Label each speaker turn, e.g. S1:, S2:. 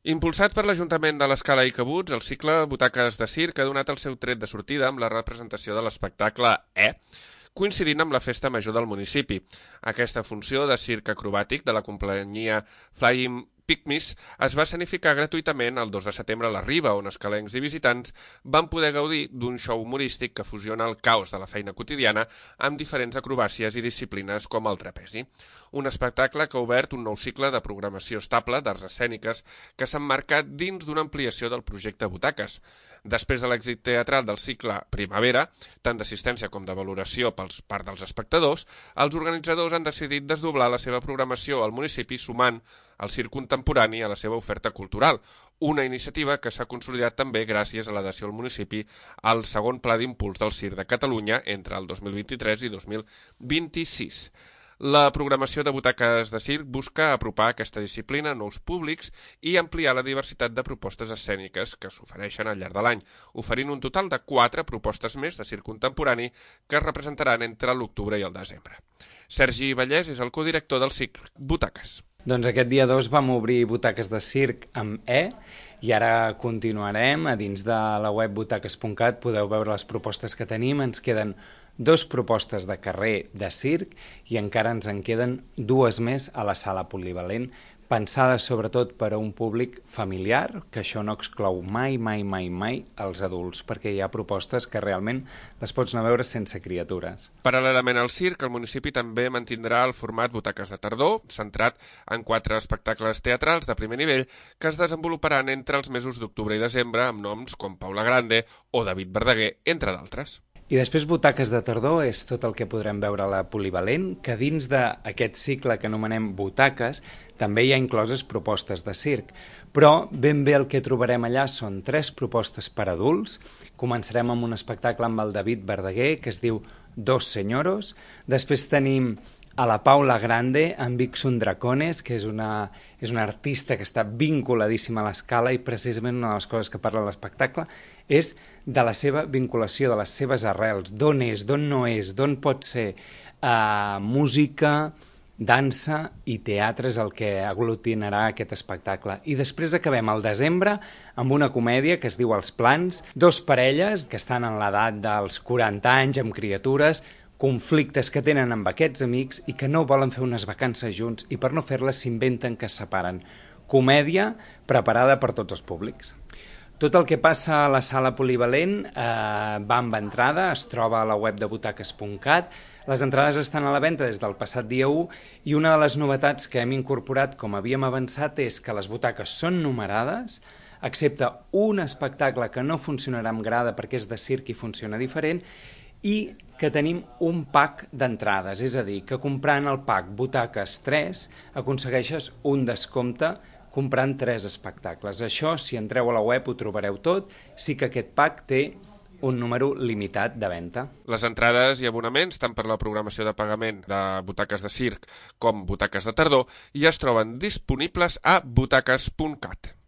S1: Impulsat per l'Ajuntament de l'Escala i Cabuts, el cicle Butaques de Circ ha donat el seu tret de sortida amb la representació de l'espectacle coincidint amb la festa major del municipi. Aquesta funció de circ acrobàtic de la companyia Flying Pygmies es va escenificar gratuïtament el 2 de setembre a la Riba, on escalencs i visitants van poder gaudir d'un show humorístic que fusiona el caos de la feina quotidiana amb diferents acrobàcies i disciplines com el trapezi. Un espectacle que ha obert un nou cicle de programació estable d'arts escèniques que s'emmarca dins d'una ampliació del projecte Butaques. Després de l'èxit teatral del cicle Primavera, tant d'assistència com de valoració per part dels espectadors, els organitzadors han decidit desdoblar la seva programació al municipi sumant el circ contemporani a la seva oferta cultural, una iniciativa que s'ha consolidat també gràcies a l'adhesió al municipi al segon Pla d'Impuls del Circ de Catalunya entre el 2023 i 2026. La programació de Butaques de Circ busca apropar aquesta disciplina a nous públics i ampliar la diversitat de propostes escèniques que s'ofereixen al llarg de l'any, oferint un total de 4 propostes més de circ contemporani que es representaran entre l'octubre i el desembre. Sergi Vallès és el codirector del cicle Butaques.
S2: Doncs aquest dia 2 vam obrir Butaques de Circ amb i ara continuarem. A dins de la web butaques.cat podeu veure les propostes que tenim. Ens queden 2 propostes de carrer de circ i encara ens en queden 2 més a la sala polivalent, pensades sobretot per a un públic familiar, que això no exclou mai els adults, perquè hi ha propostes que realment les pots anar a veure sense criatures.
S1: Paral·lelament al circ, el municipi també mantindrà el format Butaques de Tardor, centrat en 4 espectacles teatrals de primer nivell que es desenvoluparan entre els mesos d'octubre i desembre amb noms com Paula Grande o David Verdaguer, entre d'altres.
S2: I després Butaques de Tardor és tot el que podrem veure a la polivalent, que dins d'aquest cicle que anomenem Butaques també hi ha incloses propostes de circ. Però ben bé el que trobarem allà són 3 propostes per a adults. Començarem amb un espectacle amb el David Verdaguer que es diu Dos Senyoros. Després tenim a la Paula Grande amb Vixun Dracones, que és una artista que està vinculadíssima a l'Escala i precisament una de les coses que parla l'espectacle és de la seva vinculació, de les seves arrels, d'on és, d'on no és, d'on pot ser música, dansa i teatre és el que aglutinarà aquest espectacle. I després acabem al desembre amb una comèdia que es diu Els Plans, 2 parelles que estan en l'edat dels 40 anys amb criatures, conflictes que tenen amb aquests amics i que no volen fer unes vacances junts i per no fer-les s'inventen que es separen. Comèdia preparada per tots els públics. Tot el que passa a la sala polivalent va amb entrada, es troba a la web de butaques.cat. Les entrades estan a la venda des del passat dia 1 i una de les novetats que hem incorporat, com havíem avançat, és que les butaques són numerades, excepte un espectacle que no funcionarà amb grada perquè és de circ i funciona diferent, i que tenim un pack d'entrades, és a dir, que comprant el pack Butaques 3 aconsegueixes un descompte comprant 3 espectacles. Això, si entreu a la web, ho trobareu tot, sí que aquest pack té un número limitat de venda.
S1: Les entrades i abonaments, tant per la programació de pagament de Butaques de Circ com Butaques de Tardor, ja es troben disponibles a butaques.cat.